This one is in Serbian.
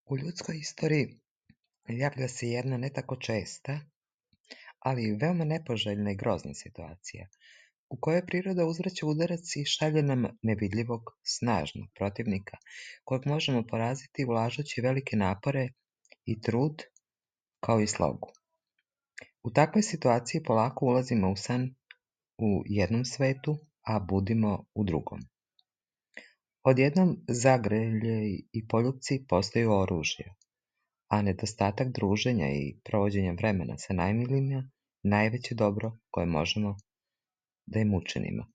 U ljudskoj istoriji javlja se jedna ne tako česta, ali veoma nepoželjna i grozna situacija, u kojoj priroda uzvraća udarac i šalje nam nevidljivog, snažnog protivnika, kojeg možemo poraziti ulažući velike napore i trud, kao i slogu. U takvoj situaciji polako ulazimo u san u jednom svetu, a budimo u drugom. Odjednom zagrljaj i poljupci postaju oružje, a nedostatak druženja i provođenja vremena sa najmilijima najveće dobro koje možemo da im učinimo.